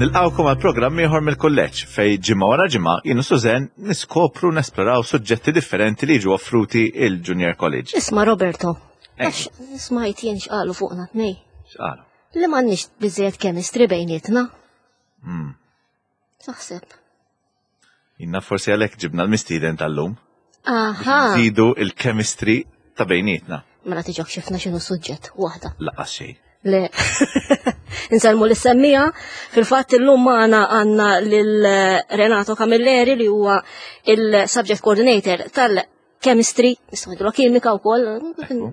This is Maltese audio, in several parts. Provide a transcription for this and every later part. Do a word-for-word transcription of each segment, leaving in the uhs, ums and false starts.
Nilqgħukom għal programm ieħor mill-kulleġġ fejn ġimgħa wara ġimgħa jien u Suzen niskopru nesploraw suġġetti differenti li jiġu offruti il-Junior College. Isma' Roberto, Eh. għax smajt jien x'qalu fuqna tnej. X'qalu? Li m'għandniex biżejjed chemistry bejnietna. Hmm. Taħseb. Jiena forsi għalhekk ġibna l-mistieden tal-lum. Aha. Zidu il-chemistry ta' bejnietna. Mela tiġok xifna x'inhu suġġett waħda. Lanqas xejn. Le. Insellmu lis-semmiegħa. Fil-fatt illum magħna għandna lil Renato Camilleri li huwa il-subject coordinator tal-chemistry, nistgħu ngħidu kimika wkoll,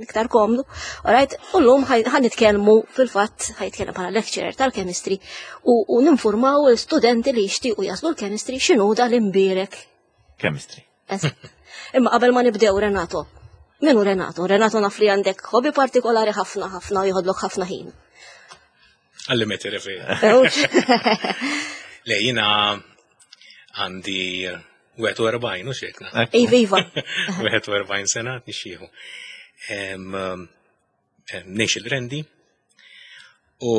iktar komdu. Alright, u llum ħa nitkellmu fil-fatt ħa jitkellem bħala lecturer tal-chemistry u, u ninformaw l-studenti li jixtiequ jaslu l-chemistry x'inhu dal-imbierek. Chemistry. Eżatt. Imma qabel ma nibdew Renato, min hu Renato? Renato naf li għandek hobby partikolari ħafna ħafna u jieħodlok ħafna ħin. Għalli meti referi. Ewx. Le, jiena għandi wieħed u erbgħin u xekna. Iva, iva. wieħed u erbgħin sena nixxieħu. Ngħix il-Qrendi u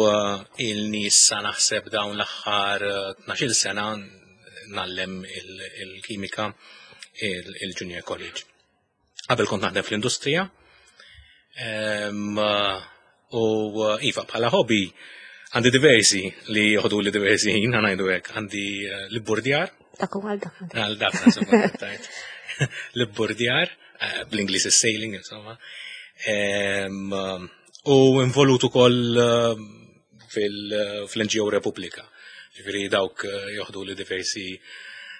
uh, ilni issa naħseb dawn l-aħħar tnax-il sena ngħallem il-kimika il-Junior College. Qabel kont naħdem fl-industrija. Em, U iva, bħala hobby għandi diversi li joħdu li diversi ħin, ħa ngħidu hekk, għandi eh, l-burdjar, Dak u għal dak. għal dak insomma, tajt. L-burdjar, eh, bl-Ingliż is-sailing, insomma. Em, U involut ukoll eh, fil- fil-N G O Repubblika. Ġifieri dawk eh, joħdu li diversi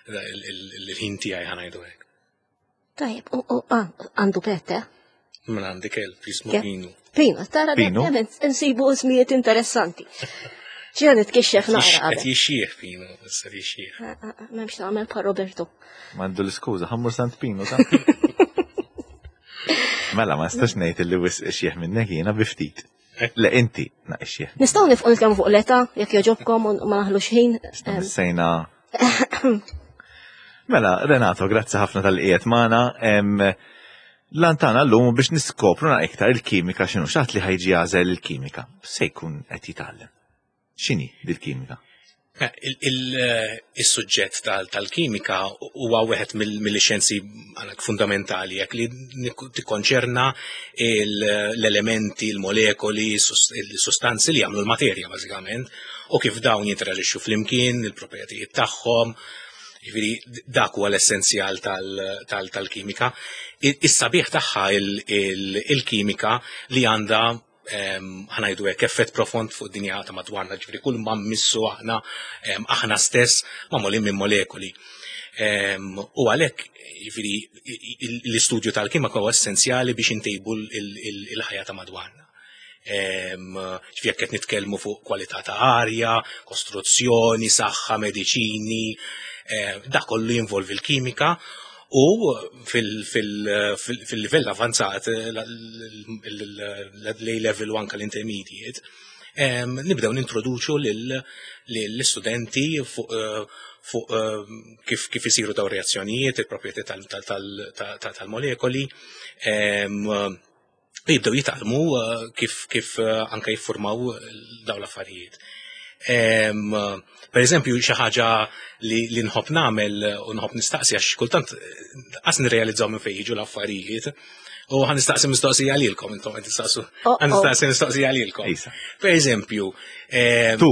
il-ħin tiegħi, ħa ngħidu hekk. Tajjeb, u u, ah, għandu pet, eh? Mela għandi kelb jismu Ke- Pinu. Pino, tara Pino? dejjem insibu ismijiet interessanti. Ġena nitkixxef naqra Qed qabel. jixxieħ Pinu, issa jixxieħ. Ah, ah, ah, m'hemmx nagħmel pa' Roberto. M'għandu l-iskuża, ħa mmur Sant Pinu ta'. Mela, ma nistax ngħid li wisq ixjeħ minnek jiena bi ftit. Le inti na ixjeħ. Nistgħu nifqu nitkellmu fuq l-età, jekk jogħġobkom u ma naħlux ħin. Em, Sejna. Mela, Renato, grazzi ħafna talli qiegħed magħna. L-għan tagħna llum biex niskopru na iktar il-kimika x'inhu, xi ħadd li ħa jiġi jagħżel il-kimika. Se jkun qed jitgħallem. X'inhi dil-kimika? Eh, Il-suġġett tal-kimika huwa wieħed mill-xjenzi għalek fundamentali jekk li tikkonċerna l-elementi, il-molekoli, il-sustanzi li jagħmlu l-materja bażikament u kif dawn jinteraġixxu flimkien, il-proprjetajiet tagħhom. Ġifieri dak huwa l-essenzjal tal-kimika. Is-sabiħ tagħha il-kimika li għandha, ħa ngħidu hekk, effett profond fuq id-dinja ta' madwarna, ġifieri kull ma mmissu aħna aħna stess magħmulin minn molekoli. U għalhekk ġifieri l-istudju tal-kimika huwa essenzjali biex intejbu il-ħajja ta' madwarna. Ġifieri jekk qed nitkellmu fuq kwalità ta' arja, kostruzzjoni, saħħa, mediċini, dak kollu jinvolvi l-kimika u fil-livell avanzat, l-A level u anka l-intermediate, nibdew nintroduċu l-istudenti fuq kif kif isiru daw reazzjonijiet, il-proprjetà tal-molekoli, u jibdew jitgħallmu kif kif anka jiffurmaw daw l-affarijiet. Per eżempju, xi ħaġa li, li nħobb nagħmel u nħobb nistaqsi għax kultant qas nirrealizzaw minn fejn jiġu l-affarijiet. U ħa nistaqsi mistoqsija lilkom, intom qed tistaqsu. Oh, Ħa nistaqsi mistoqsija lilkom. Isa. Per eżempju, Tu.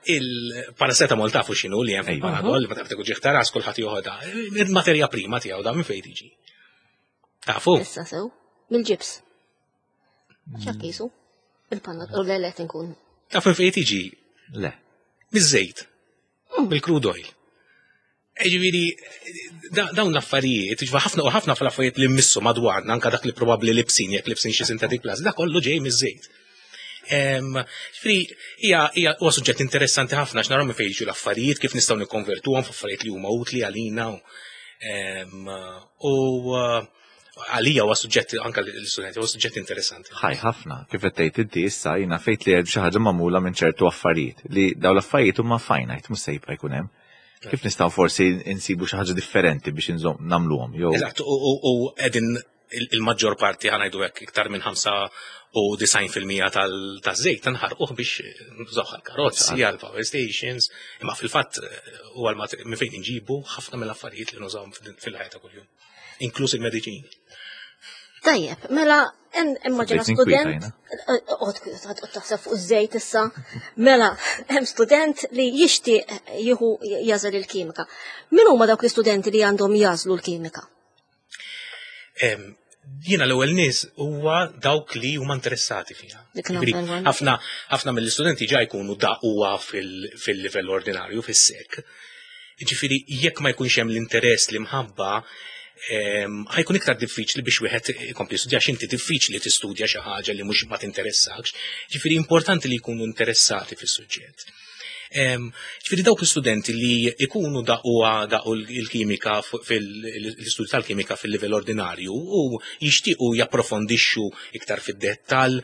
Il-paracetamol tafu x'inhu li hemm fil-Panadol, li ma taf ġieħ ta' ras kulħadd joħodha. Il-materja prima tiegħu da minn fejn tiġi? Tafu? Issa sew, mill-ġibs. X'hekk jisu? Il-Panadol, u le le tinkun. Taf minn fejn tiġi? Le. Miż-żejt. Bil-crude oil. Ġifieri, dawn l-affarijiet, ġifieri ħafna u ħafna fl-affarijiet li mmissu madwarna, anka dak li probabbli libsin, jekk libsin xi synthetic plus, dak kollu ġej miż-żejt. Ġifieri, hija hija huwa suġġett interessanti ħafna għax naraw minn fejn jiġu l-affarijiet, kif nistgħu nikkonvertuhom f'affarijiet li huma utli għalina. U għalija huwa suġġett anka l-istudenti, huwa suġġett interessanti. Ħaj ħafna, kif qed tgħid inti issa jiena fejt li hemm xi ħaġa magħmula minn ċertu affarijiet li dawn l-affarijiet huma finite, mhux se jibqa' jkun hemm. Kif nistgħu forsi insibu xi ħaġa differenti biex inżomm nagħmluhom jew Eżatt, u qegħdin Il-maġġor parti, ħa ngħidu hekk, iktar minn ħamsa u disgħin fil-mija tal-żejt nħarquh biex nużawh għal-karozzi, għal-power stations, imma fil-fatt huwa minn fejn inġibu ħafna mill-affarijiet li nużawhom fil-ħajja ta' kuljum, inkluż il-mediċini. Tajjeb, mela, immaġina student, oqgħod taħseb fuq iż-żejt issa, mela, hemm student li jixtieq jieħu jagħżel il-kimika. Min huma dawk l-istudenti li għandhom jagħżlu l-kimika? Jiena l-ewwel nies huwa dawk li huma interessati fiha. Ħafna ħafna mill-istudenti ġa jkunu daquha fil-livell ordinarju, fis-S E C. Ġifieri jekk ma jkunx hemm l-interess, li mħabba, ħa jkun iktar diffiċli biex wieħed ikompli studja, għax inti diffiċli tistudja xi ħaġa li mhux ma tinteressakx. Ġifieri importanti li jkunu interessati fis-suġġett. Ġifieri dawk l-istudenti li ikunu daquha daqu l-kimika fil-istudju tal-kimika fil-livell ordinarju u jixtiequ japprofondixxu iktar fid-dettall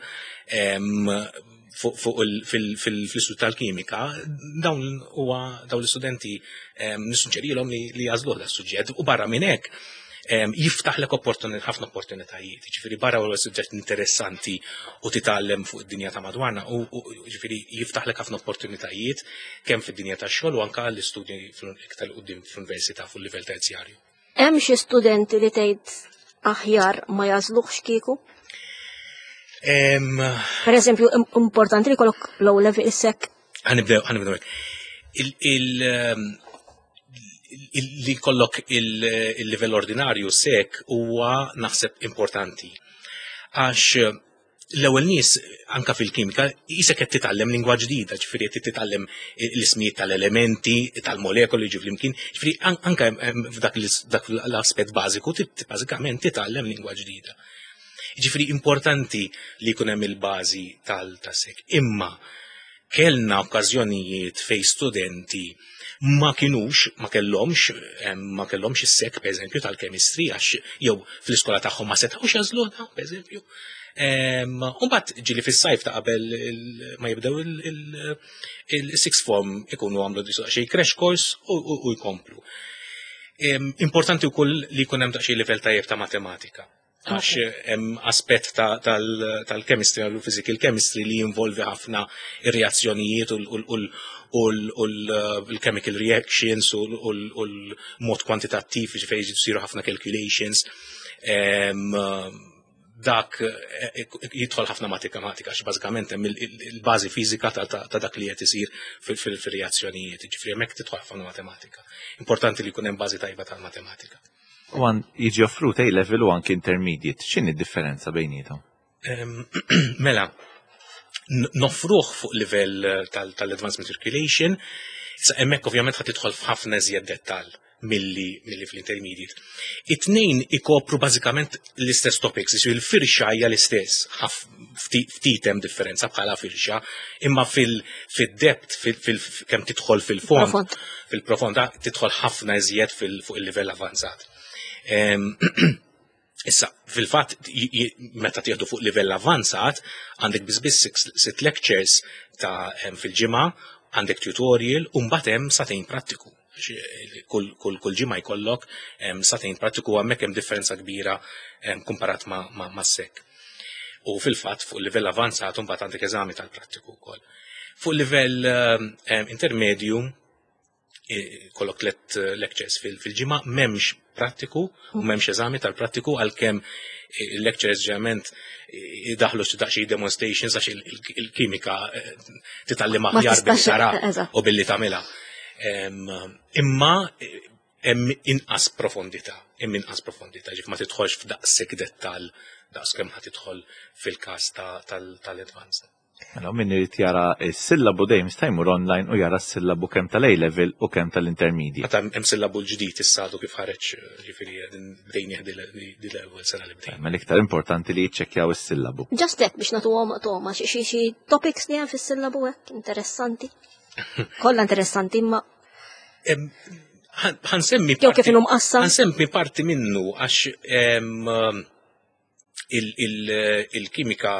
fuq fil-istudju tal-kimika, dawn huwa dawn l-istudenti nissuġġerilhom li jagħżluh das-suġġett. U barra minn hekk jiftaħlek ħafna opportunitajiet. Ġifieri barra huwa suġġett interessanti u titgħallem fuq id-dinja ta' madwarna u ġifieri jiftaħlek ħafna opportunitajiet kemm fid-dinja tax-xogħol u anke l-istudji iktar quddiem fl-università fuq livell terzjarju. Hemm xi studenti li tgħid aħjar ma jagħżluhx kieku? Per eżempju, importanti li jkollok low level is-S E C. Ħa nibdew, ħa nibdew. Li jkollok il-livell ordinarju S E C huwa naħseb importanti. Għax l-ewwel nies anka fil-kimika qisek qed titgħallem lingwa ġdida, ġifieri qed titgħallem l-ismijiet tal-elementi, tal-molekoli ġi flimkien, ġifieri anka f'dak l-aspett bażiku bażikament titgħallem lingwa ġdida. Ġifieri importanti li jkun hemm il-bażi tal-S E C. Imma kellna okkażjonijiet fej studenti ma kienux, ma kellhomx, ma kellhomx is-S E C, per eżempju, tal-chemistry, għax jew fl-iskola tagħhom ma setgħux jagħżluha, per eżempju. Umbagħad ġieli fis-sajf ta' qabel ma jibdew il-sixth form ikunu għamlu xi crash course u jkomplu. Importanti wkoll li jkun hemm daqsxejn livell tajjeb ta' matematika, għax hemm aspett tal-chemistry u physical chemistry li jinvolvi ħafna ir-reazzjonijiet u l-chemical reactions u l-mod kwantitattiv, ġifieri jsiru ħafna calculations. Dak eh, jidħol ħafna matematika, għax bażikament hemm il-bażi fiżika ta' dak li qed isir fil-reazzjonijiet, ġifieri hemmhekk tidħol ħafna matematika. Importanti li jkun hemm bażi tajba tal-matematika. U għan jiġi offrut A level u anki intermediate, x'inhi differenza bejnietom? Mela, noffruh fuq livell tal-Advanced Matriculation, sa hemmhekk ovvjament ħa tidħol f'ħafna iżjed dettall milli milli fl-intermediate. It-tnejn ikopru bażikament l-istess topics, il-firxa hija l-istess, ftit hemm differenza bħala firxa, imma fil-depth, kemm tidħol fil-fond, fil-profonda, tidħol ħafna iżjed fuq il-livell avanzat. Issa, fil-fatt, meta tieħdu fuq livell avanzat, għandek biss biss sitt lectures ta' fil-ġimgħa, għandek tutorial, u mbagħad hemm sagħtejn prattiku. Kull, kull, kull ġimgħa jkollok sagħtejn prattiku, hemmhekk hemm differenza kbira kumparat ma', ma, ma S E C. U fil-fatt fuq livell avanzat mbagħad għandek eżami tal-prattiku wkoll. Fuq livell intermedju kollok tlet lectures fil-ġimgħa, m'hemmx prattiku u m'hemmx eżami tal-prattiku, għalkemm il-lectures ġeneralment idaħlu xi daqsxejn demonstrations, għax il-kimika titgħallem aħjar billi tara u billi tagħmilha. Imma hemm inqas profondità, hemm inqas profondità, ġif ma tidħolx f'daqshekk dettall daqs kemm ħa tidħol fil-każ tal-advanced. Mela, min irid jara s-sillabu dejjem jista' jmur online u jara s-sillabu kemm tal-A level u kemm tal-intermediate. Meta hemm sillabu l-ġdid issa għadu kif ħareġ, ġifieri bdejn di l-ewwel sena li bdejn. Ma l-iktar importanti li jiċċekkjaw is-sillabu. Just hekk biex nagħtuhom toma xi xi topics li hemm fis-sillabu hekk interessanti. Kollha interessanti, imma Ħa nsemmi Jew kif inhu mqassam. Ħa nsemmi parti minnu, għax il-kimika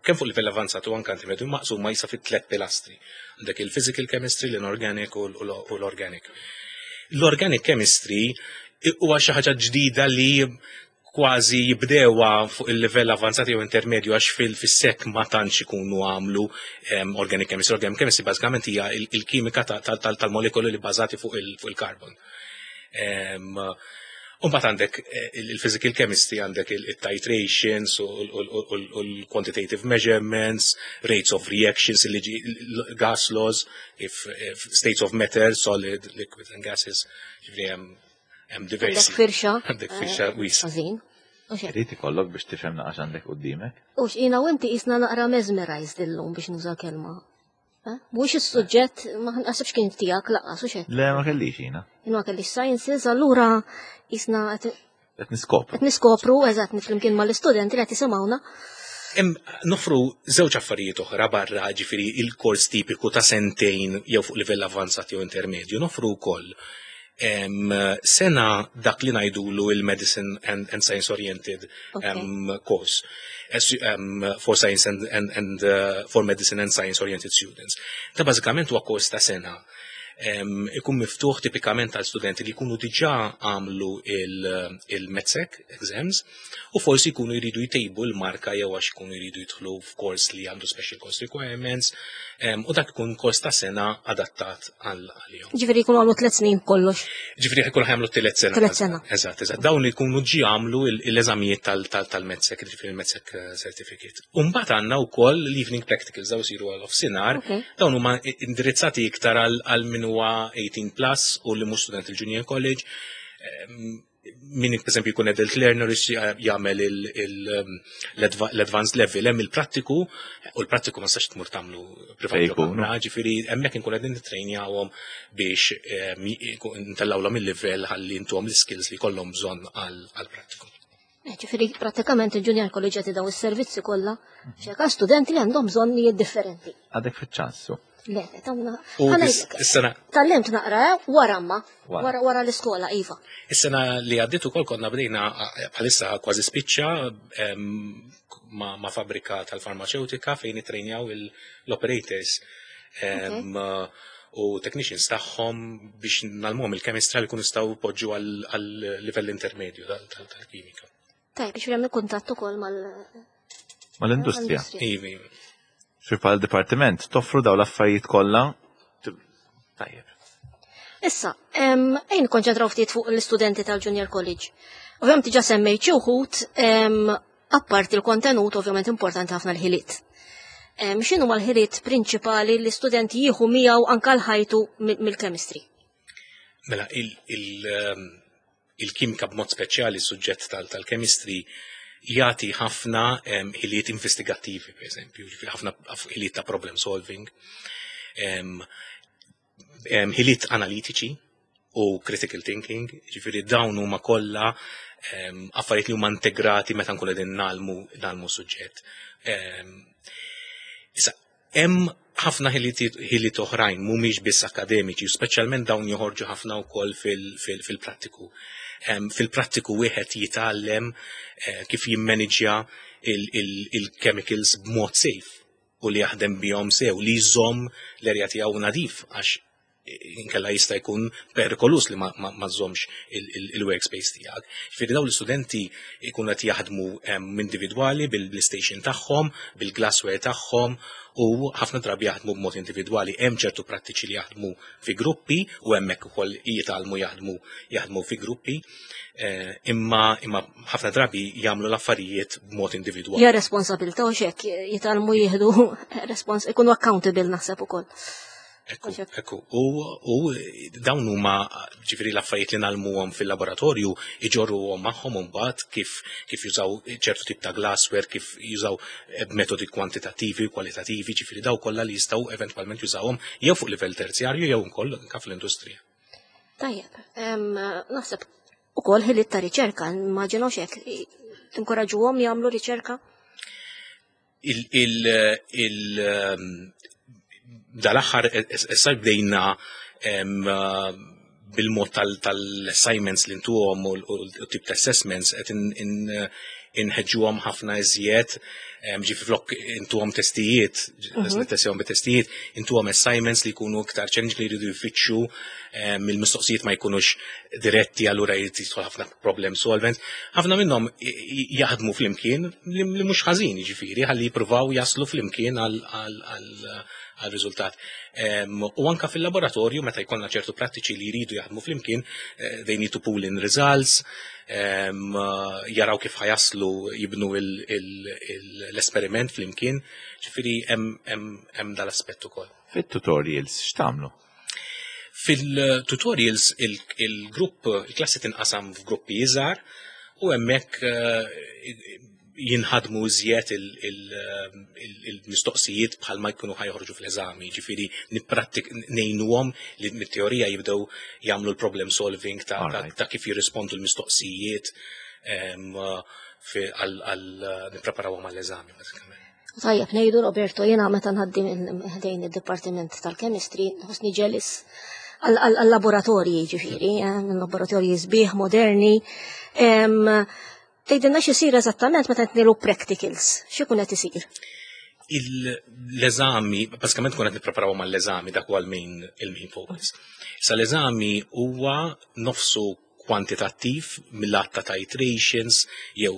kemm fuq livell avanzat u anke intermedju maqsuma jisa fit tliet pilastri. Għandek il-physical chemistry, l-inorganic u l-organic. L-organic chemistry huwa xi ħaġa ġdida li Kważi jibdewa fuq il-livell avanzati jew intermedju, għax fil-sek ma tantx ikunu għamlu organic chemistry. Organic chemistry bażikament hija il-kimika tal-molekoli li bażati fuq il-carbon. Umbagħad għandek eh, il-physical chemistry, għandek il-titrations u l-quantitative measurements, rates of reactions, gas laws, if states of matter, solid, liquid and gases, ġifieri hemm diversi. Għandek firxa. Għandek firxa wiesgħa. Għażin. Irid ikollok biex tifhem naqax għandek qudiemek. U x'ina u inti jisna naqra mesmerized illum, biex nuża kelma. Eh? Mhux is-suġġett, ma naħsibx kien tiegħek lanqas, u xejn. Le, ma kellix jiena. Jien ma kellix sciences, allura jisna qed niskopru. Qed niskopru, eżatt, flimkien mal-istudenti li qed jisimgħuna. Nofru żewġ affarijiet oħra barra, ġifieri, il-kors tipiku ta' sentejn jew fuq livell avanzat jew intermedju. Nofru wkoll sena dak li ngħidulu il-Medicine and, and Science Oriented um, course um, for science and, and, and uh, for medicine and science oriented students. Ta' bażikament huwa kors ta' sena ikun miftuħ tipikament għal studenti li jkunu diġà għamlu il-MedSec exams u forsi jkunu jridu jtejbu l-marka jew għax jkunu jridu jidħlu f'kors li għandu special course requirements, u dak ikun kors ta' sena adattat għal-għalihom. Ġifieri jkunu għamlu tliet snin kollox. Ġifieri jkunu għamlu tliet sena. Tliet sena. Eżatt, eżatt. Dawn jkunu ġi għamlu l-eżamijiet tal-MedSec, ġifieri il-MedSec eh, certificate. Umbagħad għandna wkoll l-evening practicals, daw isiru għal nofsinhar, dawn huma indirizzati iktar għal min huwa eighteen plus u li mhux student il-junior college. Min per esempio jkun adult learner jagħmel l-advanced level, hemm il-prattiku, u l-prattiku ma sax tmur tagħmlu privat, ġifieri hemmhekk inkun qegħdin nittrejnjawhom biex ntellgħulhom il-livell ħalli intuhom l-skills li jkollhom bżonn għall-prattiku. Eh, ġifieri prattikament il-junior college qed daw is-servizzi kollha xeka studenti li għandhom bżonnijiet differenti. Għadek fiċ-ċansu. Le, tawna. U is-sena Tgħallimt naqra, eh, wara ma, wara wara l-iskola, iva. Is-sena li għaddiet ukoll konna bdejna, bħalissa kważi spiċċa, ma', ma fabrika tal-farmaceutika fejn itrejnjaw l-operators u technicians tagħhom biex ngħallmuhom il-chemistry li jkunu jistgħu jpoġġu għal livell intermedju tal-kimika. Tajb, biex hemm kuntatt ukoll mal Mal-industrija. Iva, iva. Fi pal dipartiment toffru daw l-affarijiet kollha. Tajjeb. Issa, ejn konċentraw ftit fuq l-istudenti tal-Junior College. Ovvjament diġà semmejt xi wħud, apparti l-kontenut, ovvjament importanti ħafna l-ħiliet. X'inhu l-ħiliet prinċipali li l-istudenti jieħu miegħu anke l-ħajtu mill-chemistry? Mela, il-kimika, b'mod speċjali suġġett tal-chemistry, jagħti ħafna ħiliet investigattivi, per eżempju, ħafna ħiliet ta' problem solving, ħiliet analitiċi u critical thinking, ġifieri dawn huma kollha affarijiet li huma integrati meta nkunu qegħdin ngħallmu ngħallmu suġġett. Issa, hemm ħafna ħiliet oħrajn mhumiex biss akademiċi, u speċjalment dawn joħorġu ħafna wkoll fil-prattiku. Fil-prattiku wieħed jitgħallem eh, kif jimmaniġja il-chemicals b'mod safe u li jaħdem bihom sew, li jżomm l-erja tiegħu nadif, għax inkella jista' jkun perikolus li ma, ma, ma żommx il-workspace tiegħek. Ġifieri dawn l-istudenti jkunu qed jaħdmu individwali bil-station tagħhom, bil-glassware tagħhom, u ħafna drabi jaħdmu b'mod individwali. Hemm ċertu prattiċi li jaħdmu fi gruppi u hemmhekk ukoll jitgħallmu jaħdmu jaħdmu fi gruppi, eh, imma imma ħafna drabi jagħmlu l-affarijiet b'mod individwali. Ja responsabilità u xek, jitgħallmu jieħdu respons, ikunu accountable naħseb ukoll. Ekku, ekku. U, u dawn huma, ġifieri, l-affarijiet li ngħallmuhom fil-laboratorju iġorruhom magħhom imbagħad, kif kif jużaw ċertu tip ta' glassware, kif jużaw metodi kwantitattivi u kwalitattivi, ġifieri daw kollha li jistgħu eventwalment jużawhom jew fuq livell terzjarju jew ukoll anke fl-industrija. Tajjeb, naħseb ukoll ħiliet ta' riċerka, immaġinaw xek, tinkoraġuhom jagħmlu riċerka? Il, il, il, dal-aħħar issa bdejna bil-mod tal-assignments li ntuhom u tip ta' assessments qed inħeġġuhom ħafna iżjed Ġifieri flok intuhom testijiet, nittestjahom bit-testijiet, intuhom assignments li jkunu iktar challenge, li jridu jfittxu, il-mistoqsijiet ma jkunux diretti, allura jrid jidħol ħafna problem solving. Ħafna minnhom jaħdmu flimkien, li mhux ħażin, ġifieri ħalli jippruvaw jaslu flimkien għal riżultat. U anka fil-laboratorju, meta jkollna ċertu prattiċi li jridu jaħdmu flimkien, eh, they need to pool in results, jaraw kif ħa jaslu jibnu l-esperiment flimkien, ġifieri hemm dal-aspett ukoll. Fit-tutorials x'tagħmlu? Fil-tutorials il-grupp, il-klassi tinqasam f'gruppi iżgħar u hemmhekk eh, jinħadmu iżjed il-mistoqsijiet bħalma jkunu ħa joħorġu fl-eżami, ġifieri nipprattik ngħinuhom li mit-teorija jibdew jagħmlu l-problem solving ta' kif jirrispondu l-mistoqsijiet għal nippreparawhom għall-eżami, bażikament. Tajjeb ngħidu, Roberto, jiena meta nħaddim ħdejn id-Dipartiment tal-Chemistry nħossni jealous għal-laboratorji ġifieri, eh, laboratorji sbieħ moderni. Tgħidilna x'isir eżattament meta tnilu practicals, x'ikun qed isir? L-eżami, bażikament kun qed nippreparaw mal-eżami, dak huwa l-main il-main focus. Sa l-eżami huwa nofsu kwantitattiv mill-att ta' titrations, jew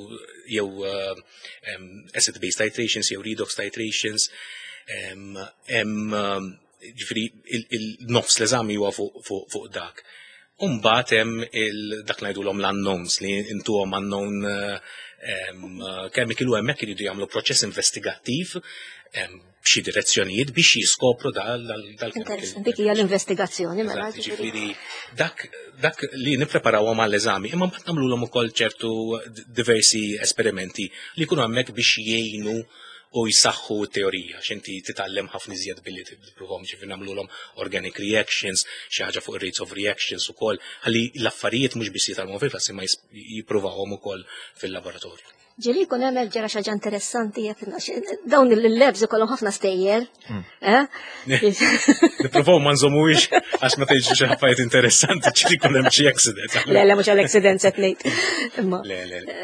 jew um, acid-base titrations, jew redox titrations, hemm ġifieri il-nofs l-eżami huwa fuq dak. Umbagħad hemm dak ngħidulhom l-unknowns, li intuhom unknown chemical u hemmhekk iridu jagħmlu proċess investigattiv b'xi direzzjonijiet biex jiskopru dal-chemical. Dik hija l-investigazzjoni, mela. Ġifieri dak dak li nippreparawhom għall-eżami, imma mbagħad nagħmluhom ukoll ċertu diversi esperimenti li jkunu hemmhekk biex jgħinu u jsaħħu t-teorija, x'inti titgħallem ħafna iżjed billi tippruvahom. Ġifieri nagħmluhom organic reactions, xi ħaġa fuq rates of reactions ukoll, ħalli l-affarijiet mhux biss jitgħallmuhom fil-klassi ma jippruvawhom ukoll fil-laboratorju. Ġieli jkun hemm ġara xi ħaġa interessanti, jekk dawn il-labs ikollhom ħafna stejjer. Eh? Nippruvaw ma nżommuhiex, għax meta jiġu xi affarijiet interessanti ġieli jkun hemm xi accident. Le, le, mhux għal-accident set ngħid. Imma Le, le, le.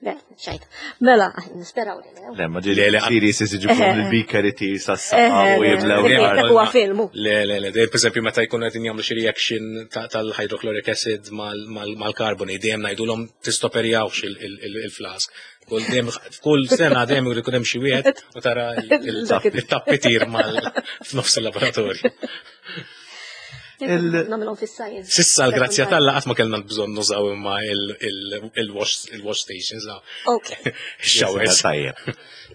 Le, xajt. Mela, nisperaw li le. Le, ma ġieli Le, le, serious iġibhom il-beaker itir sas-saqa u jiblew. Le, l-art. Dak huwa filmu. Le, le, le, per esempio, meta jkunu qegħdin jagħmlu xi reaction ta- tal-hydrochloric acid mal- mal- mal-carbonate, dejjem ngħidulhom tistoperjawx il-flask. Kull dejjem, f'kull sena dejjem ikun hemm xi wieħed u tara il-tappitir mal f'nofs il-laboratorju. Il- Nagħmilhom fis-science. Sissa l-grazzja t'Alla qatt ma kellna bżonn nużaw imma il- il-wash il-wash stations, Ok, showers. Tajjeb.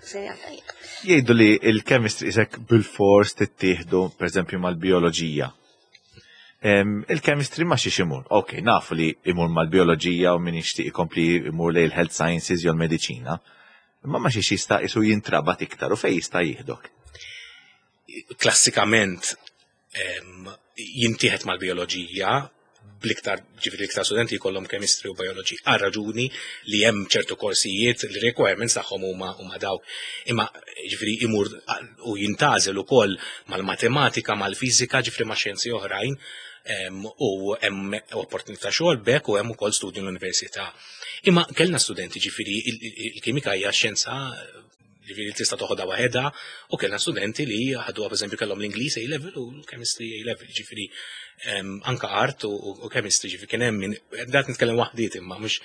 Sejja tajjeb. Jgħidu li il-chemistry isek bil-fors tittieħdu, per eżempju, mal-bioloġija. Em, Il-chemistry ma xiex imur. Ok, nafu li imur mal-bioloġija u min jixtieq ikompli imur lejn il-health sciences jew l-mediċina. Imma ma xiex jista' isu jintrabat iktar u fej jista' jieħdok? Klassikament em, jintieħed mal-bioloġija bl-iktar, ġifieri l-iktar studenti jkollhom chemistry u biology għal raġuni li hemm ċertu korsijiet li requirements tagħhom huma huma dawk. Imma ġifieri imur u jintgħażel ukoll mal-matematika, mal-fiżika, ġifieri ma' xjenzi oħrajn em, u hemm opportunità xogħol bek u hemm ukoll studju l-università. Imma kellna studenti, ġifieri il- il- il-kimika hija xjenza, ġifieri tista' toħodha waħedha, u kellna studenti li ħaduha, pereżempju kellhom l-Ingliż A level u l-chemistry A level, ġifieri em, anka art u, u chemistry, ġifieri kien hemm min dat nitkellem waħdiet imma mhux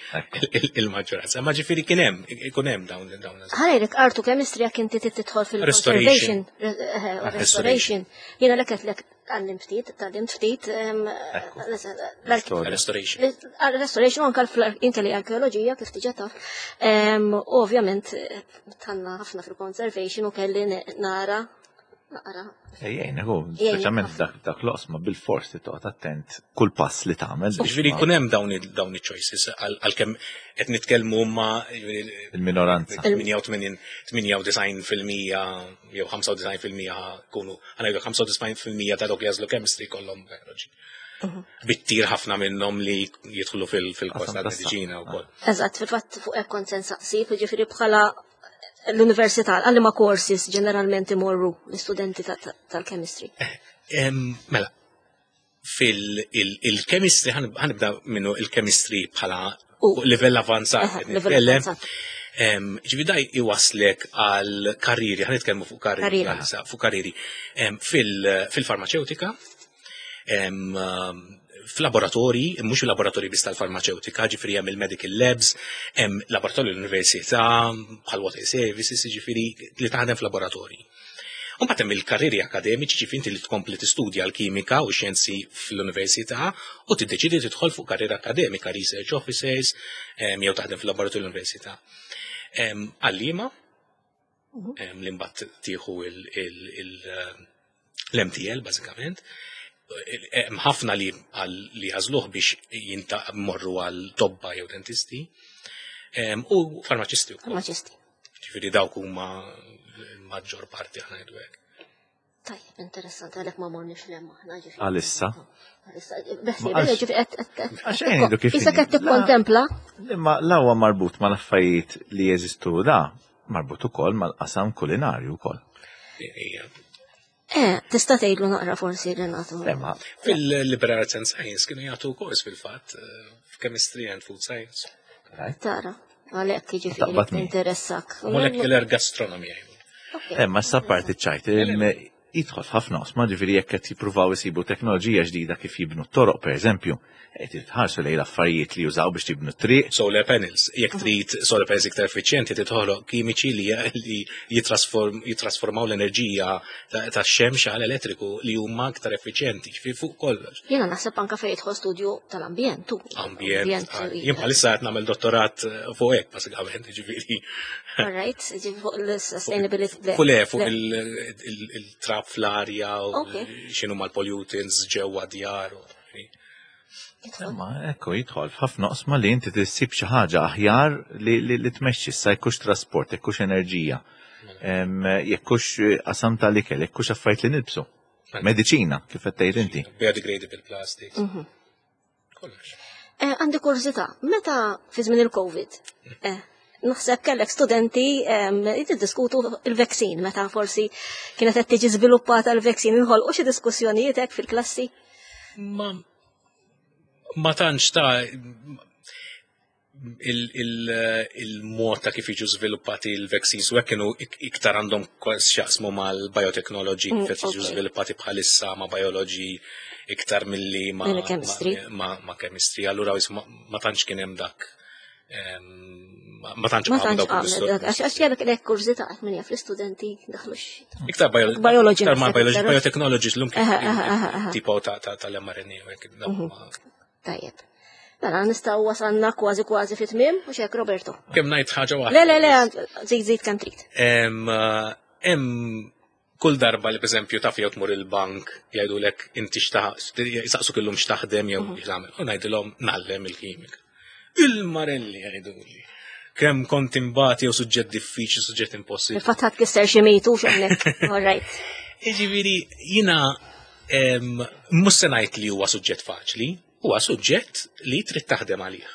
il- il-maġġoranza. Ma ġifieri kien hemm ikun hemm dawn dawn Ħalejrek art u chemistry jekk inti tidħol fil-conservation, Restoration. eh, restoration. Jiena lek lek għallim ftit, tgħallimt ftit, em, l- Storja. Restoration. Restoration u anka inti li arkeoloġija kif diġà taf. Em, U ovvjament eh, dħalna ħafna fil-conservation u kelli nara naqra. Ejjejn, hu, Jgħin speċjalment ħafna. dak dak l-oqsma bil-fors li toqgħod attent kull pass li tagħmel. biex Ġifieri ma- jkun hemm dawn il- dawn il-choices għalkemm qed nitkellmu ma ġifieri Il-minoranza. tmienja u tmenin, tmienja u disgħin fil-mija jew ħamsa u disgħin fil-mija kunu, ħa ngħidu ħamsa u disgħin fil-mija ta' dawk li jagħżlu chemistry kollhom biology. Bittir ħafna minnhom li jidħlu fil- fil-kors Qasam tal-mediċina wkoll. Eżatt, fil-fatt fuq hekk kont se nsaqsi, ġifieri bħala l-università, għal ma courses ġeneralment imorru l-istudenti ta- ta- tal-chemistry? Em, Mela, fil-chemistry, ħa nibda minnu il-chemistry bħala U- livell avanzat. Aha, qed livell nitkellem. avanzat. Em, Ġifieri da iwaslek għal karriri, ħa nitkellmu fuq karriri, Karriera. għalissa, fuq karriri em, fil- fil-farmaceutika, em, um, f'laboratorji, mhux il-laboratorji biss tal-farmaceutika, ġifieri hemm il-medical labs, hemm laboratorju l-università, bħal water services, ġifieri li taħdem f'laboratorji. U mbagħad hemm il-karriri akademiċi, ġifieri inti li tkompli tistudja l-kimika u xjenzi fl-università u tiddeċidi tidħol fuq karriera akademika, research officers, em, jew taħdem fil-laboratorju l-università. Em, Għalliema, em, li mbagħad tieħu il- il- il- l-M T L bażikament. Hemm ħafna li għal- li għażluh biex jinta morru għal tobba jew dentisti. Em, U farmaċisti wkoll. Farmaċisti. Ġifieri dawk huma l-maġġor parti, aħna ngħidu hekk. Tajjeb, interessanti, għalhekk ma morniex 'l hemm aħna, ġifieri. Għalissa. Għalissa, beħsi, Ma għax- ġifieri qed- qed- qed- Għax ngħidu kif Issa inhi. qed tikkontempla. Imma la huwa marbut ma l-affarijiet li jeżistu da, marbut ukoll mal-qasam kulinarju wkoll. Ija. Eh, tista' tgħidlu naqra forsi, Renato. Imma Fil-Liberal Arts and Science kienu jagħtu kors fil-fatt eh, f'Chemistry and Food Science. Right? Tara, għalhekk jiġifieri Taqbad min. interessak. Molecular gastronomy jgħidu. Ok. Imma sa parti ċajt, jidħol f'ħafna oqsma, ġifieri jekk qed jippruvaw isibu teknoloġija ġdida kif jibnu t-toroq, pereżempju, qed jitħarsu lejn l-affarijiet li jużaw biex jibnu t-triq. Solar panels. Jekk trid solar panels iktar effiċjenti, titħoloq kimiċi li li jitrasform, jitrasformaw l-enerġija ta' tax-xemx għal elettriku li huma aktar effiċjenti, ġifieri fuq kollox. Jiena naħseb anka fejn jidħol studju tal-ambjent. tu. Ambjent. Jien bħalissa qed nagħmel dottorat eh, fuq hekk bażikament, ġifieri. All right, ġifieri fuq l-sustainability. Fuq le, fuq il- il- il-trab fl-arja u Ok. x'inhu mal-pollutants ġewwa djar. u- Imma ekku jidħol f'ħafna oqsma li inti tissib xi ħaġa aħjar li, li, li tmexxi issa, jekkux trasport, jekkux enerġija, em, jekkux qasam tal-ikel, jekkux affarijiet li nilbsu. Mediċina, kif qed tgħid inti. Biodegradable plastics. Kollox. Eh, Għandi kurżità, meta fi żmien il-Covid, eh, naħseb kellek studenti em, jiddiskutu il-vaccine, meta forsi kienet qed tiġi żviluppata l-vaccine, inħolqu xi diskussjonijiet hekk fil-klassi? Ma ma tantx ta' il- il- il-mod ta' kif jiġu żviluppati l-vaccines u hekk kienu ik- iktar għandhom kważi x'jaqsmu mal-biotechnology, Mm, kif qed jiġu ok. żviluppati bħalissa ma' biology iktar milli ma' Milli chemistry. ma, ma, ma chemistry. Allura wis ma, ma tantx kien hemm dak em, ma ma tantx Ma qamu tantx dawk għamlet il-distor- dak, għax għax kellek lek kurżità qed min jaf l-istudenti daħlux. Iktar bio- Biology iktar ma' naħseb biology, iktar. biotechnology l-lum kif Aha, aha, aha, aha. tipo ta' ta' tal-M R N A u hekk, dawk ma- Tajjeb. Mela, nistgħu wasalna kważi kważi fit tmiem u xek, Roberto. Kemm ngħid ħaġa waħda? Le, le, le, żid żid kemm trid. Em, eh, Hemm kull darba li pereżempju taf jew tmur il-bank jgħidulek inti x'taħ jisaqsu kellhom x'taħdem jew x'tagħmel. U ngħidilhom ngħallem il-kimika. Il-marelli jgħiduli. Kemm kont imbati jew suġġett diffiċli, suġġett impossibbli. Il-fatt ħadd kisser xi mitu x'hawnhekk. All right. Jiġifieri jiena em, mhux se ngħid li huwa suġġett faċli, huwa suġġett li trid taħdem għalih.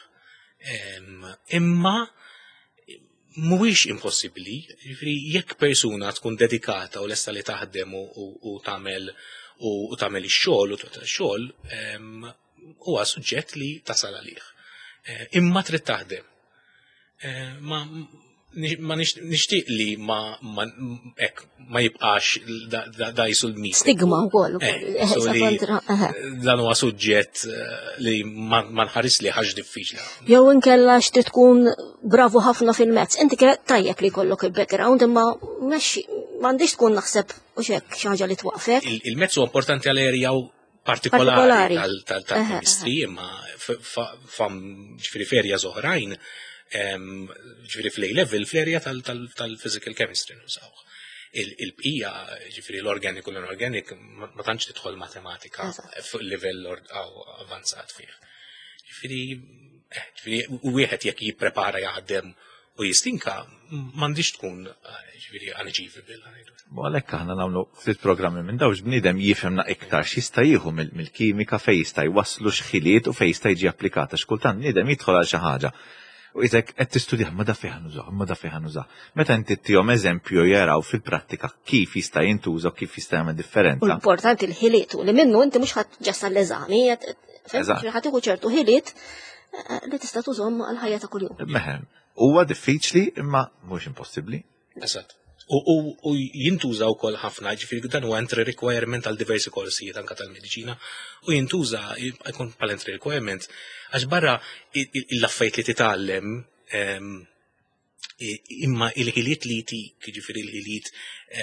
Em, Imma mhuwiex impossibbli, jiġifieri jekk persuna tkun dedikata u lesta li taħdem u, u, u tagħmel u, u tagħmel ix-xogħol u twettaq ix-xogħol, em, huwa suġġett li tasal għalih. Eh, Imma trid taħdem. Eh, Ma ma nix- nixtieq li ma ma ek ma jibqax da, da, da jisu l-mit. Stigma wkoll. Eh, Eh, so sa li kontra, eħe. dan huwa suġġett eh, li ma ma nħares li ħaġa diffiċli. Jew inkella xti tkun bravu ħafna fil-mezz. Inti kien tajjeb li jkollok il-background, imma mexxi m'għandix tkun naħseb u xek xi ħaġa li twaqfek. Il- Il-mezz huwa importanti għal area partikolari Partikolari. tal- tal- tal-chemistry, imma f- fa- fam ġifieri f'areas oħrajn, em, ġifieri fl-A level, fl-area tal- tal- tal-physical chemistry nużawh. Il- Il-bqija, ġifieri l-organic u l-inorganic, ma ma tantx tidħol matematika Eżatt. fuq livell or- aw avanzat fih. Ġifieri, eh, ġifieri, u wieħed jekk jipprepara, jaħdem u jistinka, m'għandix tkun eh, ġifieri unachievable, ngħidu. U għalhekk aħna nagħmlu ftit programmi minn dawx bniedem jifhemna iktar x'jista' jieħu mill- mill-kimika, fejn jista' jwasslu x'ħiliet u fejn jista' jiġi applikata. X'kultant bniedem jidħol għal xi ħaġa. U jisek qed tistudja ma da fejn nużah, ma da fejn nużah. Meta inti tihom eżempju jaraw fil-prattika kif jista' jintuża u kif jista' jagħmel U differenza. importanti l-ħiliet u li minnu inti mhux ħadd ġassa l-eżami, Eżatt. ħadd tieħu ċertu ħiliet eh, li tista' tużhom għal-ħajja ta' kuljum. Meħem, Huwa diffiċli imma mhux impossibbli. Eżatt. U, u, u jintuża wkoll ħafna, ġifieri dan huwa entry requirement għal diversi korsijiet anka tal-mediċina, u jintuża jkun bħal entry requirement għax barra l-affarijiet li titgħallem em, i- imma il-ħiliet li jtik, ġifieri il-ħiliet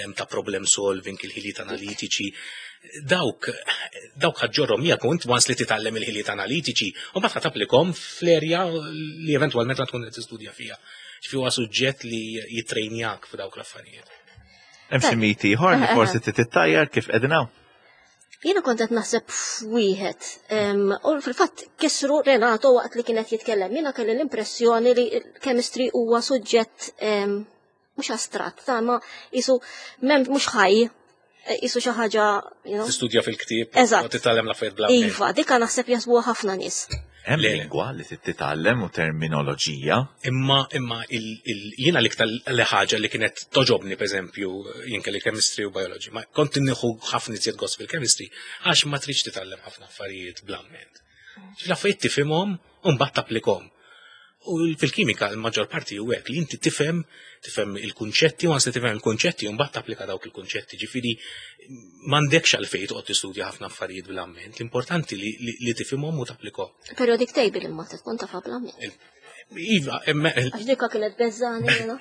em, ta' problem solving, il-ħiliet analitiċi, dawk dawk ħa ġġorrhom miegħek u int once li titgħallem il-ħiliet analitiċi u mbagħad ħa tapplikhom fl-erja li eventwalment tkun qed tistudja fiha. Ġifieri huwa suġġett li jitrejnjak f'dawk l-affarijiet. Hemm xi miti ieħor li forsi tittajjar kif qegħdin hawn. Jiena kont qed naħseb f'wieħed. em, U fil-fatt kisru Renato waqt li kienet jitkellem. Jiena kelli l-impressjoni li l-chemistry huwa suġġett em, mhux astratt, ta' ma jisu mem mhux ħaj, eh, jisu xi ħaġa, you know. Tistudja fil-ktieb Eżatt. u titgħallem l-affarijiet bla mnejn. Iva, dika naħseb jaħsbuha ħafna nies. Hemm Le, le. lingwa li trid titgħallem u terminoloġija. Imma imma il, il, jiena l-iktar li ħaġa li kienet togħġobni pereżempju jien kelli chemistry u biology, ma kont nieħu ħafna iżjed gost fil-chemistry għax ma tridx titgħallem ħafna affarijiet bl-amment. L-affarijiet tifhimhom u mbagħad tapplikhom. U fil-kimika l-maġġor parti hu hekk li inti tifhem tifhem il-kunċetti u once li tifhem il-kunċetti u mbagħad tapplika dawk il-kunċetti. Ġifieri m'għandekx għalfejn toqgħod tistudja ħafna affarijiet bl-amment. L-importanti li, li, li tifhimhom u tapplikhom. Periodic table imma tkun tafha bl-amment. Iva, imma Għax dika kienet beżani jiena.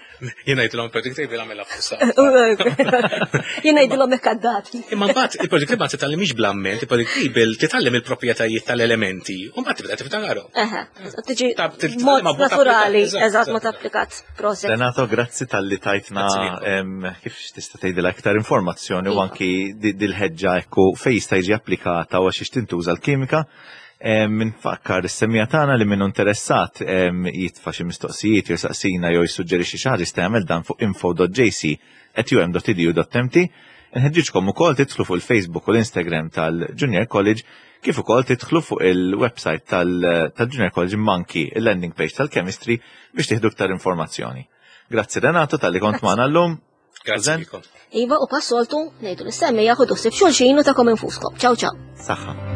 jien ngħidilhom periodic table għamilha fuq Jiena ngħidilhom hekk għaddati. Imma mbagħad il-periodic table ma titgħallimx bl-amment, il-periodic table titgħallem il-proprjetajiet tal-elementi u mbagħad tibda tiftakarhom. Eħe, tiġi Ta' titgħallem mod ma' mod naturali, applikat, eżatt mod eżatt. applikat. Proset. Renato, grazzi talli tajtna Grazzi lilkom. em, kif tista' tgħidilha aktar informazzjoni u Iva. anki di- dil-ħeġġa ekku fejn jista' jiġi applikata u għax tintuża l-kimika. Em, Nfakkar is-semmiegħa tagħna li minnu interessat em, jitfa' xi mistoqsijiet jew saqsina jew jissuġġerixxi xi ħaġa jista' jagħmel dan fuq info dot J C at U M dot edu dot M T. Nħeġġiġkom ukoll tidħlu fuq il-Facebook u l-Instagram tal-Junior College, kif ukoll tidħlu fuq il-website tal- tal-Junior College, manki il-landing page tal-chemistry, biex tieħdu iktar informazzjoni. Grazzi Renato talli kont magħna llum. Grazzi Zen. lilkom. Iva, u bħas-soltu ngħidu lis-semmiegħa ħudu ħsieb xulxin u tagħkom infuskom. Ciao ciao. Saħħa.